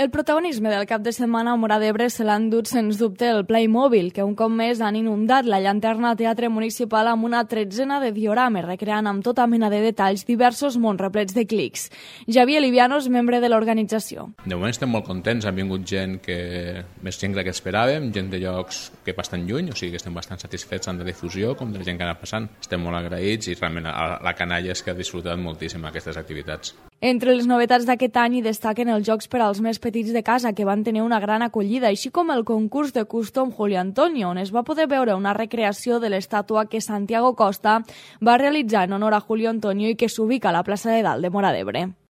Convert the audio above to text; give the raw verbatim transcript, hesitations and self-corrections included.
El protagonisme del cap de setmana a Móra d'Ebre se l'han dut sens dubte el Playmobil, que un cop més han inundat la llanterna Teatre Municipal amb una tretzena de diorames, recreant amb tota mena de detalls diversos mons replets de clics. Javier Livianos, membre de l'organització. De moment estem molt contents, han vingut gent que més gent que esperàvem, gent de llocs que bastant lluny, o sigui que estem bastant satisfets tant de difusió com de la gent que ha anat passant. Estem molt agraïts i realment la canalla és que ha disfrutat moltíssim aquestes activitats. Entre les novetats d'aquest any hi destaquen els jocs per als més petits de casa, que van tenir una gran acollida, així com el concurs de custom Julio Antonio, on es va poder veure una recreació de l'estàtua que Santiago Costa va realitzar en honor a Julio Antonio i que s'ubica a la plaça de Dalt de Móra d'Ebre.